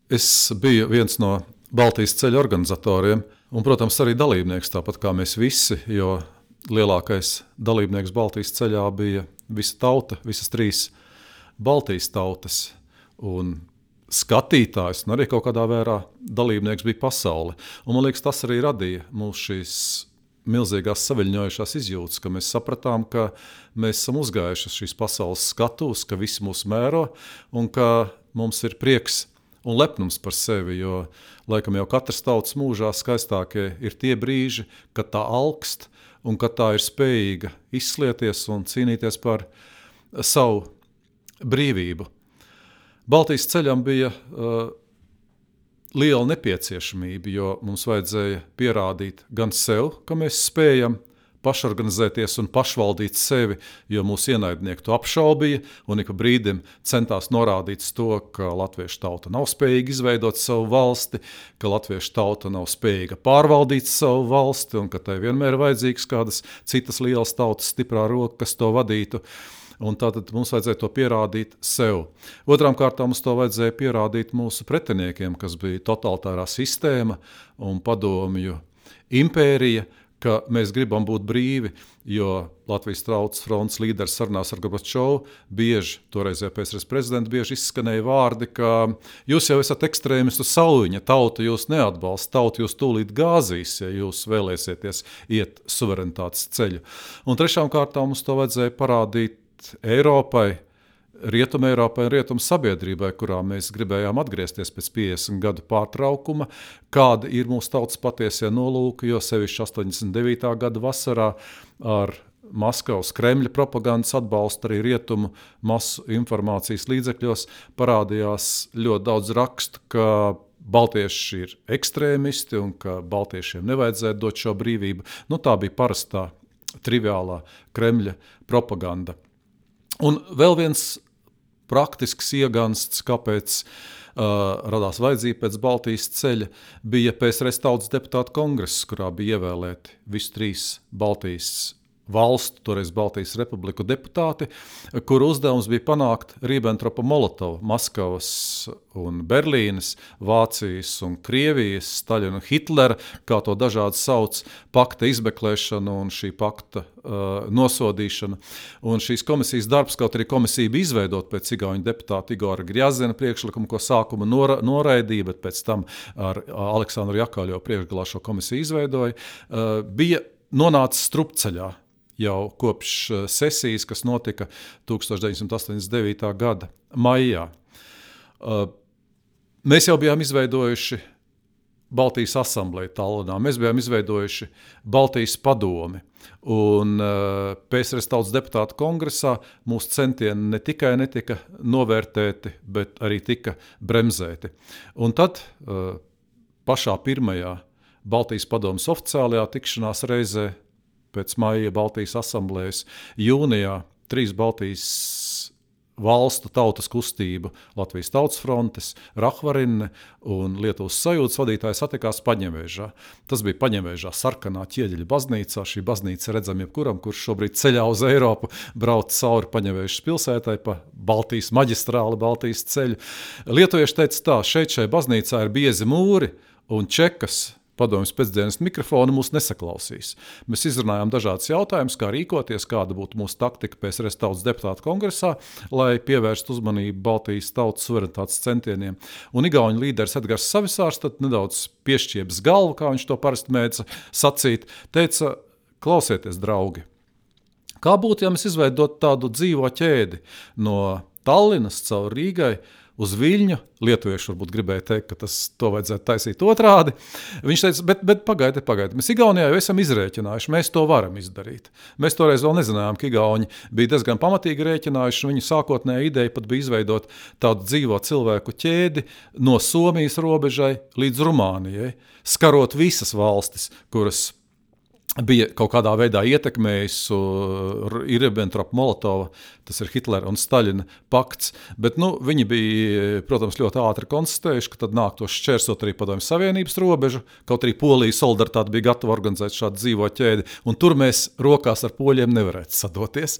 Es biju viens no Baltijas ceļa organizatoriem un, protams, arī dalībnieks, tāpat kā mēs visi, jo lielākais dalībnieks Baltijas ceļā bija visa tauta, visas 3 Baltijas tautas. Un skatītājs, un arī kaut kādā vērā dalībnieks bija pasaule. Un, man liekas, tas arī radīja mūs šīs milzīgās saviļņojušās izjūtas, ka mēs sapratām, ka mēs esam uzgājuši šīs pasaules skatuves, ka visi mūs mēro un ka mums ir prieks un lepnums par sevi, jo laikam jau katras tautas mūžā skaistākie ir tie brīži, kad tā augst un kad tā ir spējīga izslieties un cīnīties par savu brīvību. Baltijas ceļam bija liela nepieciešamība, jo mums vajadzēja pierādīt gan sev, ka mēs spējam pašorganizēties un pašvaldīt sevi, jo mūsu ienaidnieki to apšaubīja un ik pa brīdim centās norādīt to, ka latviešu tauta nav spējīga izveidot savu valsti, ka latviešu tauta nav spējīga pārvaldīt savu valsti un ka tai vienmēr ir vajadzīgas kādas citas lielas tautas stiprā roka, kas to vadītu. Un tātad mums vajadzēja to pierādīt sev. Otrām kārtām mums to vajadzēja pierādīt mūsu pretiniekiem, kas bija totalitārā sistēma un padomju impērija, ka mēs gribam būt brīvi, jo Latvijas Tautas frontes līderis sarunās ar Gorbačovu bieži, toreizējā PSRS prezidenta, bieži izskanēja vārdi, ka jūs jau esat ekstrēmistu sauļiņa, tauta jūs neatbalsta, tauta jūs tūlīt gāzīs, ja jūs vēlēsieties iet suverenitātes ceļu. Un trešām kārtām mums to vajadzēja parādīt Eiropai, Rietumu Eiropai un Rietumu sabiedrībai, kurā mēs gribējām atgriezties pēc 50 gadu pārtraukuma, kāda ir mūsu tautas patiesie nolūki, jo sevišķi 89. gada vasarā ar Maskavas Kremļa propagandas atbalstu arī Rietumu masu informācijas līdzekļos parādījās ļoti daudz rakstu, ka baltieši ir ekstrēmisti un ka baltiešiem nevajadzētu dot šo brīvību. Tā bija parastā, triviālā Kremļa propaganda. Un vēl viens praktisks iegansts, kāpēc radās vajadzība pēc Baltijas ceļa, bija PSRS tautas deputātu kongress, kurā bija ievēlēti visi 3 Baltijas valstu, toreiz Baltijas republiku deputāti, kuru uzdevums bija panākt Ribbentropa-Molotovu, Maskavas un Berlīnes, Vācijas un Krievijas, Staļina un Hitlera, kā to dažādi sauc, pakta izmeklēšanu un šī pakta nosodīšanu. Un šīs komisijas darbs, kaut arī komisija bija izveidot pēc igauņu deputāta Igora Grjazina priekšlikumu, ko sākuma noraidīja, bet pēc tam ar Aleksandru Jakaļovu priekšgalā šo komisiju izveidoja, bija nonācis strupceļā jau kopš sesijas, kas notika 1989. gada maijā. Mēs jau bijām izveidojuši Baltijas asambleju Tallinā, mēs bijām izveidojuši Baltijas padomi, un PSRS tautas deputātu kongresā mūsu centieni ne tikai netika novērtēti, bet arī tika bremzēti. Un tad pašā pirmajā Baltijas padomes oficiālajā tikšanās reizē pēc maija Baltijas asamblējas jūnijā 3 Baltijas valstu tautas kustību, Latvijas Tautas frontes, Rahvarinne un Lietuvas sajūtas vadītāji satikās Paņevēžā. Tas bija Paņevēžā sarkanā ķieģeļa baznīcā. Šī baznīca redzam jebkuram, kurš šobrīd ceļā uz Eiropu brauc cauri Paņevēžas pilsētai pa Baltijas maģistrāli, Baltijas ceļu. Lietuvieši teica tā, šai baznīcā ir biezi mūri un čekas, padomjas pēcdienas mikrofonu mūs nesaklausīs. Mēs izrunājām dažādas jautājumus, kā rīkoties, kāda būtu mūsu taktika PSRS tautas deputātu kongresā, lai pievērstu uzmanību Baltijas tautas suverenitātes centieniem. Un igauņu līderis Edgars Savisārs tad nedaudz piešķiebs galvu, kā viņš to parasti mēdza sacīt, teica, klausieties, draugi, kā būtu, ja mēs izveidot tādu dzīvo ķēdi no Tallinas caur Rīgai uz Viļņu, lietuvieši varbūt gribēja teikt, ka to vajadzētu taisīt otrādi. Viņš teica, bet pagaidi, mēs Igaunijā jau esam izrēķinājuši, mēs to varam izdarīt. Mēs toreiz vēl nezinājām, ka igauņi bija diezgan pamatīgi rēķinājuši, un viņu sākotnēja ideja pat bija izveidot tādu dzīvo cilvēku ķēdi no Somijas robežai līdz Rumānijai, skarot visas valstis, kuras bija kaut kādā veidā ietekmējis Ribbentrop-Molotova, tas ir Hitlera un Staļina pakts, bet viņi bija, protams, ļoti ātri konstatējuši, ka tad nāktos šķērsot arī Padomju Savienības robežu, kaut arī Polija solidaritāte bija gatava organizēt šādu dzīvo ķēdi, un tur mēs rokās ar poļiem nevarētu sadoties.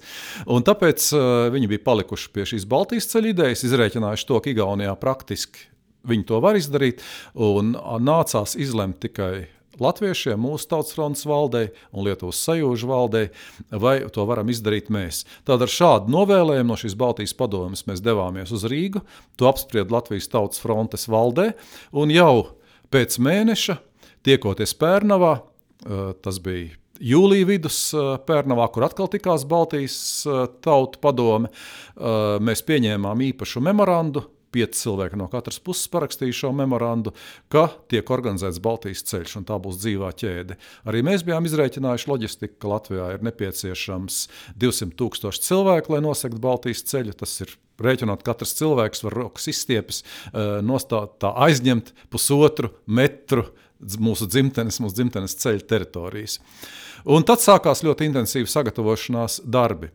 Un tāpēc viņi bija palikuši pie šīs Baltijas ceļa idejas, izrēķinājuši to, ka Igaunijā praktiski viņi to var izdarīt, un nācās izlemt tikai latviešiem, mūsu Tautas frontes valdei un Lietuvas sajūžu valdei, vai to varam izdarīt mēs. Tad ar šādu novēlējumu no šīs Baltijas padomes mēs devāmies uz Rīgu, to apspried Latvijas Tautas frontes valdē, un jau pēc mēneša, tiekoties Pērnavā, tas bija jūlija vidus Pērnavā, kur atkal tikās Baltijas tautu padome, mēs pieņēmām īpašu memorandu, 5 cilvēki no katras puses parakstīja šo memorandu, ka tiek organizēts Baltijas ceļš, un tā būs dzīvā ķēde. Arī mēs bijām izrēķinājuši loģistiku, ka Latvijā ir nepieciešams 200,000 cilvēku, lai nosegtu Baltijas ceļu. Tas ir rēķinot, katrs cilvēks var rokas izstiepes, tā aizņemt 1,5 metru mūsu dzimtenes ceļa teritorijas. Un tad sākās ļoti intensīva sagatavošanās darbi,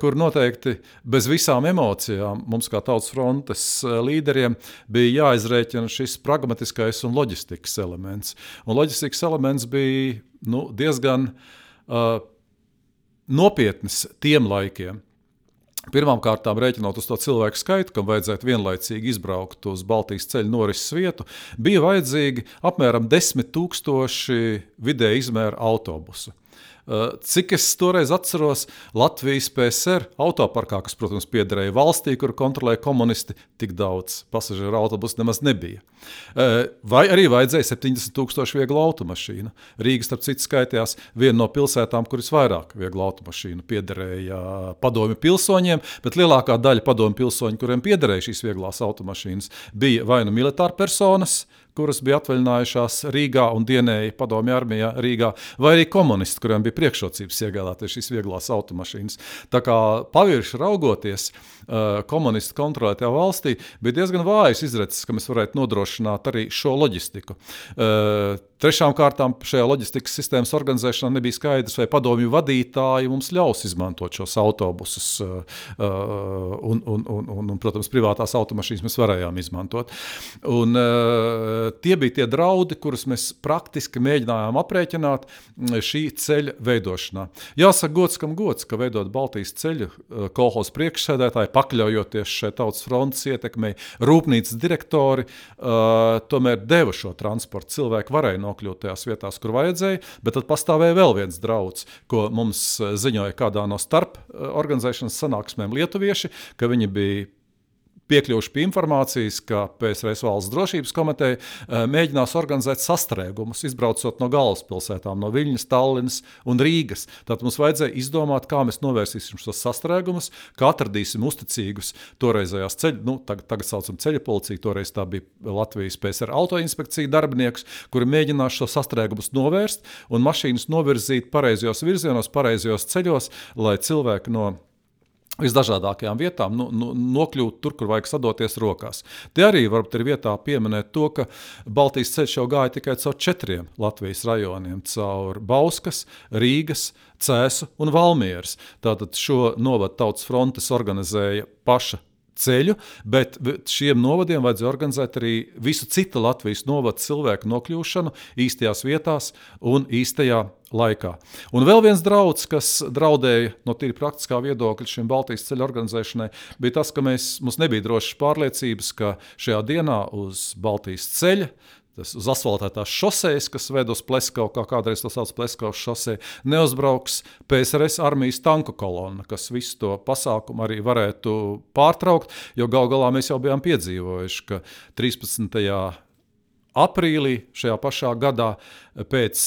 kur noteikti bez visām emocijām mums kā Tautas frontes līderiem bija jāizrēķina šis pragmatiskais un loģistikas elements. Un loģistikas elements bija diezgan nopietnis tiem laikiem. Pirmkārtām, rēķinot uz to cilvēku skaitu, kam vajadzētu vienlaicīgi izbraukt uz Baltijas ceļa norises vietu, bija vajadzīgi apmēram 10,000 vidēja izmēra autobusu. Cik es toreiz atceros, Latvijas PSR autoparkā, kas, protams, piederēja valstī, kur kontrolēja komunisti, tik daudz pasažieru autobusu nemaz nebija. Vai arī vajadzēja 70,000 vieglu automašīnu. Rīga, starp citu, skaitījās viena no pilsētām, kuras vairāk vieglu automašīnu piederēja padomju pilsoņiem, bet lielākā daļa padomju pilsoņu, kuriem piederēja šīs vieglās automašīnas, bija vai nu militāri personas, kuras bija atvaļinājušās Rīgā un dienēja padomju armijā Rīgā, vai arī komunisti, kuriem bija priekšrocības iegādāties šīs vieglās automašīnas. Tā kā pavirši raugoties, komunisti kontrolētajā valstī bija diezgan vājas izredzes, ka mēs varētu nodrošināt arī šo loģistiku. Trešām kārtām šajā loģistikas sistēmas organizēšanā nebija skaidrs, vai padomju vadītāji mums ļaus izmantot šos autobusus un protams, privātās automašīnas mēs varējām izmantot. Un tie bija tie draudi, kurus mēs praktiski mēģinājām aprēķināt šī ceļa veidošanā. Jāsaka gods, kam gods, ka veidot Baltijas ceļu kolhozas priekšsēdētāji, pakļaujoties šai Tautas frontes ietekmei, rūpnīcas direktori tomēr deva šo transportu. Cilvēki varēja nokļūt tajās vietās, kur vajadzēja, bet tad pastāvēja vēl viens drauds, ko mums ziņoja kādā no starp organizēšanas sanāksmēm lietuvieši, ka viņi bija piekļuvuši pie informācijas, ka PSRS valsts drošības komiteja mēģinās organizēt sastrēgumus, izbraucot no galvaspilsētām, no Viļņas, Tallinas un Rīgas. Tātad mums vajadzēja izdomāt, kā mēs novērsīsim šos sastrēgumus, kā atradīsim uzticīgus toreizējās tagad saucam ceļa policiju, toreiz tā bija Latvijas PSR autoinspekcija darbinieks, kuri mēģinās šo sastrēgumus novērst un mašīnas novirzīt pareizajos virzienos, pareizajos ceļos, lai cilvēki no visdažādākajām vietām nokļūt tur, kur vajag sadoties rokās. Te arī varbūt ir vietā pieminēt to, ka Baltijas ceļš jau gāja tikai caur 4 Latvijas rajoniem, caur Bauskas, Rīgas, Cēsu un Valmieras. Tātad šo novadu Tautas frontes organizēja paša ceļu, bet šiem novadiem vajadzēja organizēt arī visu citu Latvijas novadu cilvēku nokļūšanu īstajās vietās un īstajā laikā. Un vēl viens drauds, kas draudēja no tīri praktiskā viedokļa šim Baltijas ceļa organizēšanai, bija tas, ka mums nebija drošas pārliecības, ka šajā dienā uz Baltijas ceļa, uz asfaltētās šosejas, kas ved uz Pleskavu, kā kādreiz to sauc Pleskavas šosei, neuzbrauks PSRS armijas tanku kolona, kas visu to pasākumu arī varētu pārtraukt, jo gal galā mēs jau bijām piedzīvojuši, ka 13. aprīlī šajā pašā gadā pēc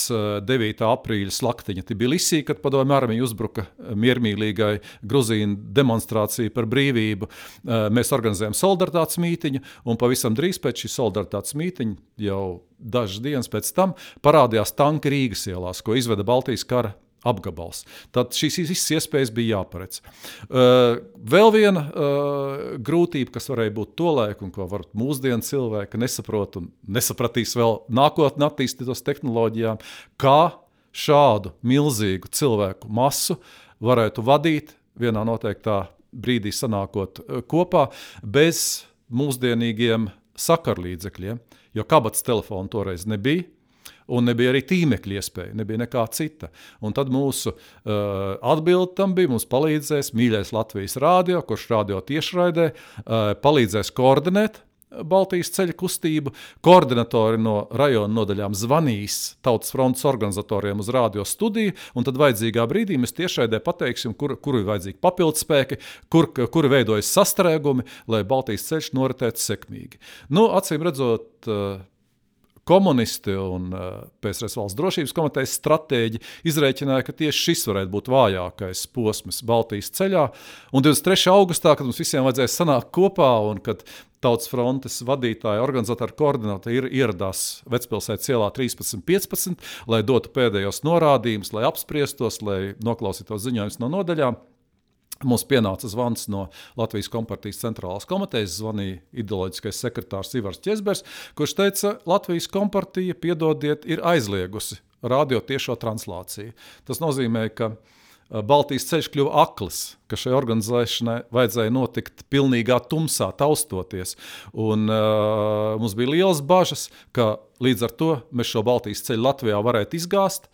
9. aprīļa slaktiņa Tbilisī, kad padomju armija uzbruka miermīlīgai Gruzīnu demonstrāciju par brīvību, mēs organizējam solidaritātes mītiņu, un pavisam drīz pēc šī solidaritātes mītiņa, jau dažas dienas pēc tam, parādījās tanki Rīgas ielās, ko izveda Baltijas kara apgabals. Tad šīs visas iespējas bija jāparedz. Vēl viena grūtība, kas varēja būt tolaik, un ko var mūsdienu cilvēki nesaprot un nesapratīs vēl nākotnē attīstītos tehnoloģijām, kā šādu milzīgu cilvēku masu varētu vadīt vienā noteiktā brīdī sanākot kopā bez mūsdienīgiem sakarlīdzekļiem, jo kabatas telefonu toreiz nebija, un nebija arī tīmekļa iespēja, nebija nekā cita. Un tad mūsu atbilde tam bija, mums palīdzēs mīļais Latvijas rādio, kurš rādio tiešraidē, palīdzēs koordinēt Baltijas ceļa kustību, koordinatori no rajona nodaļām zvanīs Tautas frontes organizatoriem uz radio studiju, un tad vajadzīgā brīdī mēs tiešraidē pateiksim, kur ir vajadzīgi papildspēki, kur veidojas sastrēgumi, lai Baltijas ceļš noritētu sekmīgi. Acīm redzot, komunisti un PSRS valsts drošības komitejas stratēģi izrēķināja, ka tieši šis varētu būt vājākais posms Baltijas ceļā. Un 23. augustā, kad mums visiem vajadzēja sanākt kopā un kad Tautas frontes vadītāji, organizatori, koordinatori ieradās Vecpilsētas ielā 13.15, lai dotu pēdējos norādījumus, lai apspriestos, lai noklausītos ziņojumus no nodaļām, mums pienāca zvans no Latvijas kompartijas centrālās komitejas, zvanīja ideoloģiskais sekretārs Ivars Ķezbers, kurš teica, Latvijas kompartija, piedodiet, ir aizliegusi radio tiešo translāciju. Tas nozīmē, ka Baltijas ceļš kļuva akls, ka šai organizēšanai vajadzēja notikt pilnīgā tumsā, taustoties. Un mums bija liels bažas, ka līdz ar to mēs šo Baltijas ceļu Latvijā varētu izgāzt.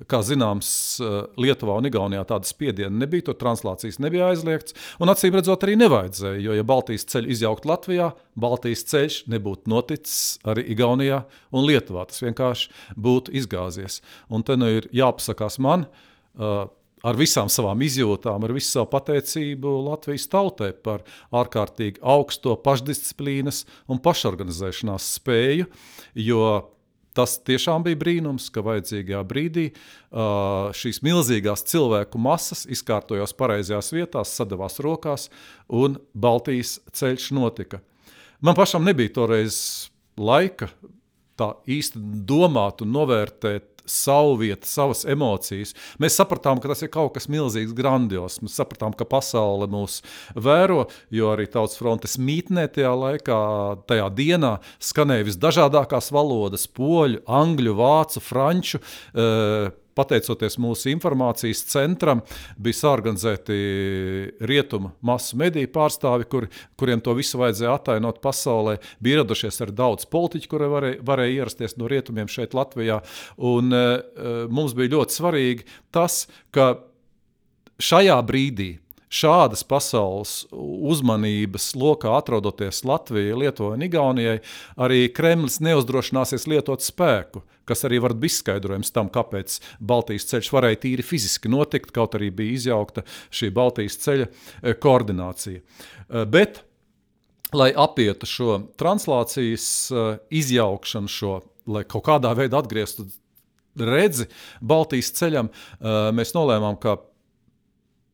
Kā zināms, Lietuvā un Igaunijā tāda spiediena nebija, tur translācijas nebija aizliegts, un acīm redzot arī nevajadzēja, jo ja Baltijas ceļu izjaukt Latvijā, Baltijas ceļš nebūtu noticis arī Igaunijā un Lietuvā, tas vienkārši būtu izgāzies. Un te ir jāpasakās man, ar visām savām izjūtām, ar visu savu pateicību Latvijas tautai par ārkārtīgi augsto pašdisciplīnas un pašorganizēšanās spēju, jo tas tiešām bija brīnums, ka vajadzīgajā brīdī šīs milzīgās cilvēku masas izkārtojās pareizajās vietās, sadavās rokās un Baltijas ceļš notika. Man pašam nebija toreiz laika tā īsti domāt un novērtēt savu vietu, savas emocijas. Mēs sapratām, ka tas ir kaut kas milzīgs, grandios. Mēs sapratām, ka pasaule mūs vēro, jo arī Tautas frontes mītnē tajā dienā skanēja visdažādākās valodas – poļu, angļu, vācu, franču. Pateicoties mūsu informācijas centram, bija sāorganizēti rietumu masu mediju pārstāvi, kuriem to visu vajadzēja attainot pasaulē. Bija ieradušies arī daudz politiķi, kuri varēja ierasties no rietumiem šeit Latvijā. Un mums bija ļoti svarīgi tas, ka šajā brīdī šādas pasaules uzmanības lokā atrodoties Latvijai, Lietuvai un Igaunijai, arī Kremlis neuzdrošināsies lietot spēku, kas arī var būt izskaidrojums tam, kāpēc Baltijas ceļš varēja tīri fiziski notikt, kaut arī bija izjaukta šī Baltijas ceļa koordinācija. Bet, lai apietu šo translācijas izjaukšanu, lai kaut kādā veidā atgrieztu redzi Baltijas ceļam, mēs nolēmām, ka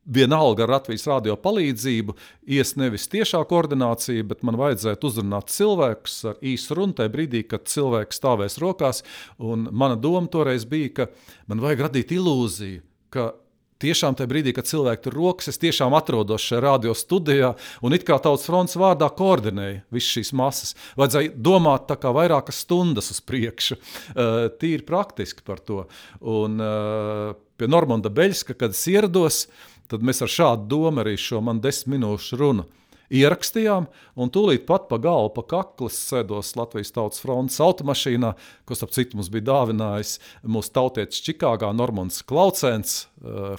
vienalga ar Latvijas radio palīdzību ies nevis tiešā koordinācija, bet man vajadzētu uzrunāt cilvēkus ar īsu runu tajā brīdī, kad cilvēks stāvēs rokās. Un mana doma toreiz bija, ka man vajag radīt ilūziju, ka tiešām tajā brīdī, kad cilvēki tur rokas, es tiešām atrodos šajā radio studijā un it kā Tautas frontes vārdā koordinēju visas šīs masas. Vajadzēja domāt tā kā vairākas stundas uz priekšu, tīri praktiski par to. Un pie Normanda Beļska, kad es ierados, tad mēs ar šādu domu arī šo man 10 minūšu runu ierakstījām, un tūlīt pat pa galvu, pa kaklas sēdos Latvijas Tautas frontes automašīnā, ko starp citu mums bija dāvinājis mūsu tautietis Čikāgā Normands Klaucēns,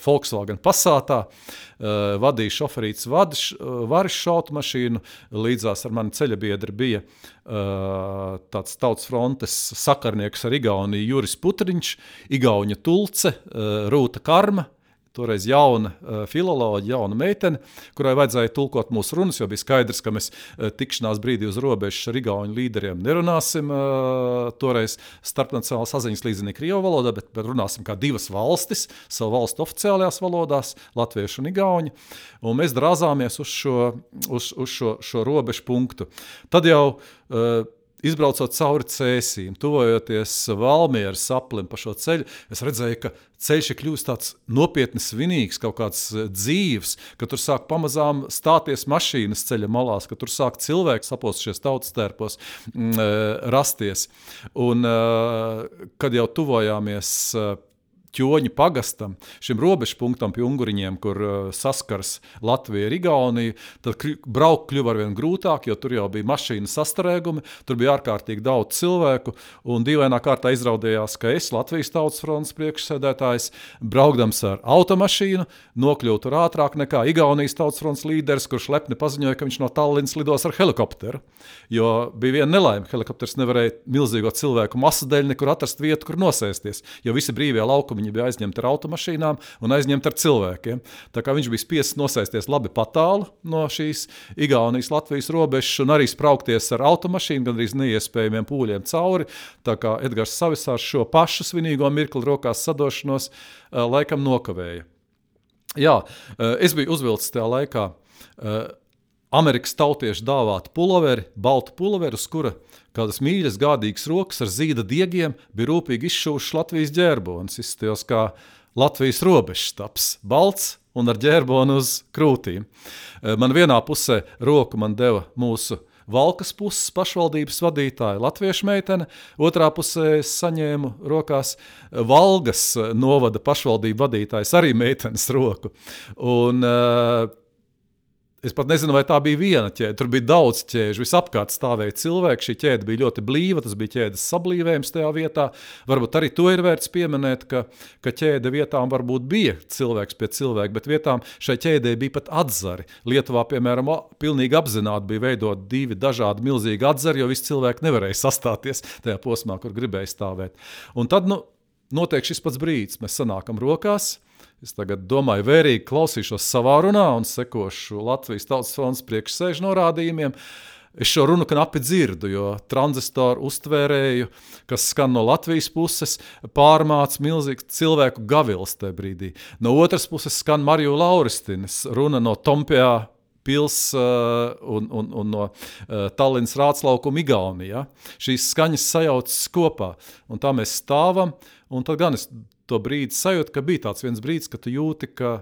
Volkswagen Passatā, vadīja šoferīts Varišs automašīnu, līdzās ar mani ceļabiedri bija tāds Tautas frontes sakarnieks ar Igauniju Juris Putriņš, Igauņa Tulce, Rūta Karma, toreiz jauna filoloģa, jauna meitene, kurai vajadzēja tulkot mūsu runas, jo bija skaidrs, ka mēs tikšanās brīdī uz robežas ar igauņu līderiem nerunāsim toreiz starpnacionālas saziņas līdzenī Krievu valodā, bet runāsim kā divas valstis, savu valstu oficiālajās valodās, latviešu un igauņu, un mēs drāzāmies uz šo robežu punktu. Tad jau izbraucot cauri Cēsīm, tuvojoties Valmieras aplim pa šo ceļu, es redzēju, ka ceļš ir kļūst tāds nopietni svinīgs, kaut kāds dzīves, ka tur sāk pamazām stāties mašīnas ceļa malās, ka tur sāk cilvēki sapostušies tautas tērpos rasties. Un kad jau tuvojāmies Ķoņu pagastam, šim robežpunktam pie Unguriņiem, kur saskars Latvija ar Igauniju, tad braukt kļuva arvien grūtāk, jo tur jau bija mašīna sastarēgumi, tur bija ārkārtīgi daudz cilvēku, un dīvainā kārtā izraudījās, ka es, Latvijas Tautas frontes priekšsēdētājs, braukdams ar automašīnu, nokļuvu tur ātrāk nekā Igaunijas Tautas frontes līderis, kurš lepni paziņoja, ka viņš no Tallinas lidos ar helikopteru, jo bija viena nelaime, helikopters nevarēja milzīgo cilvēku masu dēļ nekur atrast vietu, kur nosēsties, jo visi brīvie laukumi bija aizņemti ar automašīnām un aizņemti ar cilvēkiem. Tā kā viņš bija spiests nosēsties labi patālu no šīs Igaunijas Latvijas robežas un arī spraukties ar automašīnu, gandrīz neiespējamiem pūļiem cauri, tā kā Edgars Savisārs šo pašu svinīgo mirkli rokās sadošanos laikam nokavēja. Jā, es biju uzvilcis tajā laikā Amerikas tautiešu dāvātu puloveri, baltu puloveri, uz kura kādas mīļas, gādīgas rokas ar zīda diegiem bija rūpīgi izšūšas Latvijas ģērbonis, izstījos kā Latvijas robežštaps, balts un ar ģērboni uz krūtīm. Man vienā pusē roku man deva mūsu Valkas puses pašvaldības vadītāja latviešu meitene, otrā pusē es saņēmu rokās Valgas novada pašvaldību vadītājs arī meitenes roku. Un es pat nezinu, vai tā bija viena ķēde, tur bija daudz ķēžu, visapkārt stāvēja cilvēki, šī ķēde bija ļoti blīva, tas bija ķēdes sablīvējums tajā vietā, varbūt arī to ir vērts pieminēt, ka ķēde vietām varbūt bija cilvēks pie cilvēka, bet vietām šai ķēdē bija pat atzari. Lietuvā, piemēram, pilnīgi apzināti bija veidot 2 dažādi milzīgi atzari, jo visi cilvēki nevarēja sastāties tajā posmā, kur gribēja stāvēt. Un tad, notiek šis pats brīdis, mēs sanākam rokās. Es tagad domāju, vērīgi klausīšos savā runā un sekošu Latvijas Tautas frontes priekšsēžu norādījumiem. Es šo runu knapi dzirdu, jo tranzistoru uztvērēju, kas skan no Latvijas puses, pārmāc milzīgs cilvēku gavils tajā brīdī. No otras puses skan Mariju Lauristinas runa no Tompjā pils un no Tallinas Rāclaukuma Igaunijā. Šīs skaņas sajaucas kopā, un tā mēs stāvam, un tad gan es to brīdi sajūtu, ka bija tāds viens brīdis, ka tu jūti, ka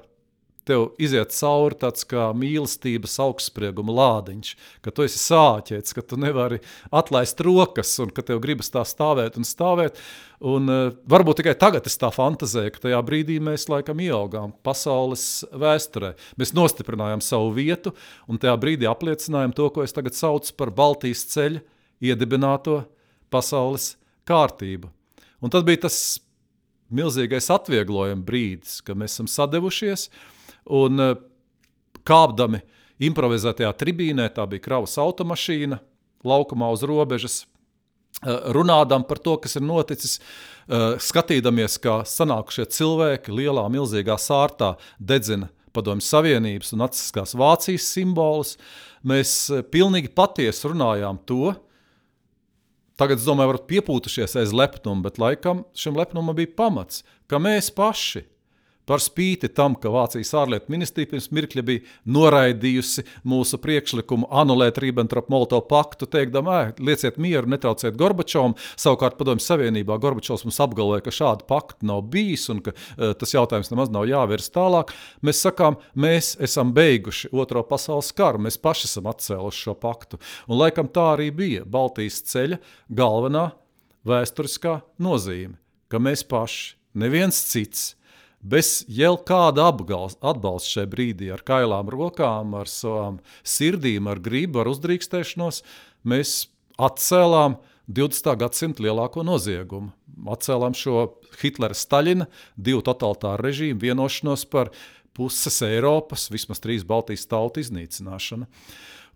tev iziet cauri tāds kā mīlestības augstsprieguma lādiņš, ka tu esi sāķēts, ka tu nevari atlaist rokas un ka tev gribas tā stāvēt un stāvēt. Un varbūt tikai tagad es tā fantazēju, ka tajā brīdī mēs laikam ieaugām pasaules vēsturē. Mēs nostiprinājām savu vietu un tajā brīdī apliecinājām to, ko es tagad saucu par Baltijas ceļa iedibināto pasaules kārtību. Un tad bija tas milzīgais atvieglojuma brīdis, ka mēs esam sadevušies un kāpdami improvizētajā tribīnē, tā bija kravas automašīna, laukumā uz robežas, runādam par to, kas ir noticis, skatīdamies, kā sanākušie cilvēki lielā, milzīgā sārtā dedzina Padomju Savienības un nacistiskās Vācijas simbolus. Mēs pilnīgi patiesi runājām to. Tagad, es domāju, varat piepūtušies aiz lepnumu, bet laikam šim lepnumam bija pamats, ka mēs paši par spīti tam, ka Vācijas ārlietu ministrija pirms mirkļa bija noraidījusi mūsu priekšlikumu anulēt Ribbentrop-Molotovu paktu, teikdam, lieciet mieru, netrauciet Gorbačovam. Savukārt Padomju Savienībā Gorbačovs mums apgalvoja, ka šādu paktu nav bijis un ka tas jautājums nemaz nav jāvirs tālāk. Mēs sakām, mēs esam beiguši Otro pasaules karu, mēs paši esam atcēluši šo paktu. Un laikam tā arī bija Baltijas ceļa galvenā vēsturiskā nozīme, ka mēs paši, neviens cits, bez jau kāda atbalsta šajā brīdī, ar kailām rokām, ar savām sirdīm, ar gribu, ar uzdrīkstēšanos, mēs atcēlām 20. gadsimta lielāko noziegumu. Atcēlām šo Hitlera Staļina 2 totalitāru režīmu vienošanos par puses Eiropas, vismaz 3 Baltijas tautu iznīcināšanu.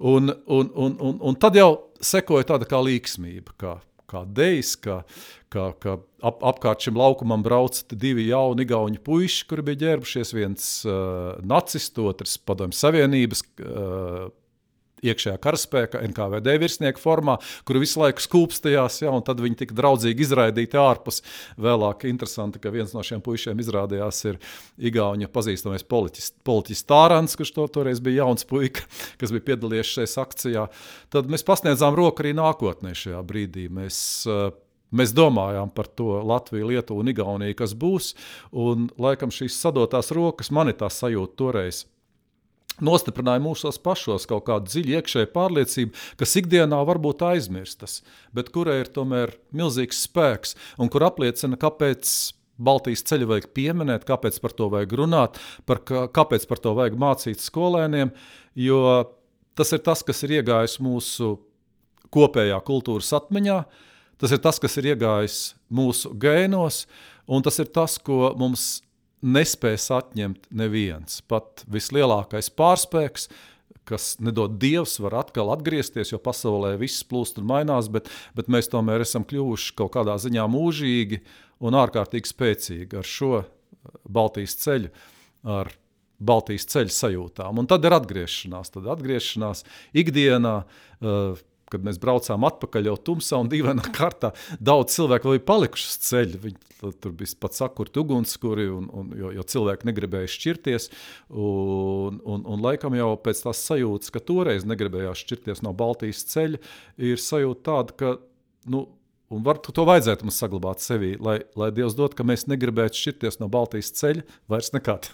Un tad jau sekoja tāda kā līksmība, kā dejs, kā apkārt šim laukumam brauca 2 jauni igauņu puiši, kuri bija ģērbušies, viens nacistu, otrs Padomju Savienības iekšējā karaspēka NKVD virsnieka formā, kuri visu laiku skūpstījās, un tad viņi tika draudzīgi izraidīti ārpus. Vēlāk interesanti, ka viens no šiem puišiem izrādījās ir igauņu pazīstamais politiķis Tārants, kurš toreiz bija jauns puika, kas bija piedalījies šajās akcijā. Tad mēs pasniedzām roku arī nākotnē šajā brīdī. Mēs domājām par to Latviju, Lietuvu un Igauniju, kas būs, un laikam šīs sadotās rokas, man ir tā sajūta toreiz, nostiprināja mūsos pašos kaut kādu dziļu iekšēju pārliecību, kas ikdienā varbūt aizmirstas, bet kurai ir tomēr milzīgs spēks un kur apliecina, kāpēc Baltijas ceļu vajag pieminēt, kāpēc par to vajag runāt, kāpēc par to vajag mācīt skolēniem, jo tas ir tas, kas ir iegājis mūsu kopējā kultūras atmiņā, tas ir tas, kas ir iegājis mūsu gēnos, un tas ir tas, ko mums nespēs atņemt neviens. Pat vislielākais pārspēks, kas nedod Dievs, var atkal atgriezties, jo pasaulē viss plūst un mainās, bet mēs tomēr esam kļuvuši kaut kādā ziņā mūžīgi un ārkārtīgi spēcīgi ar šo Baltijas ceļu, ar Baltijas ceļu sajūtām. Un tad ir atgriešanās ikdienā, kad mēs braucām atpakaļ jau tumsā un dīvainā kārtā, daudz cilvēku vēl ir palikuši uz ceļu. Viņi tur bija pat sakurti ugunskuri, jo cilvēki negribēja šķirties. Un laikam jau pēc tās sajūtas, ka toreiz negribējās šķirties no Baltijas ceļa, ir sajūta tāda, ka, un to vajadzētu mums saglabāt sevī, lai Dievs dod, ka mēs negribētu šķirties no Baltijas ceļa vairs nekad.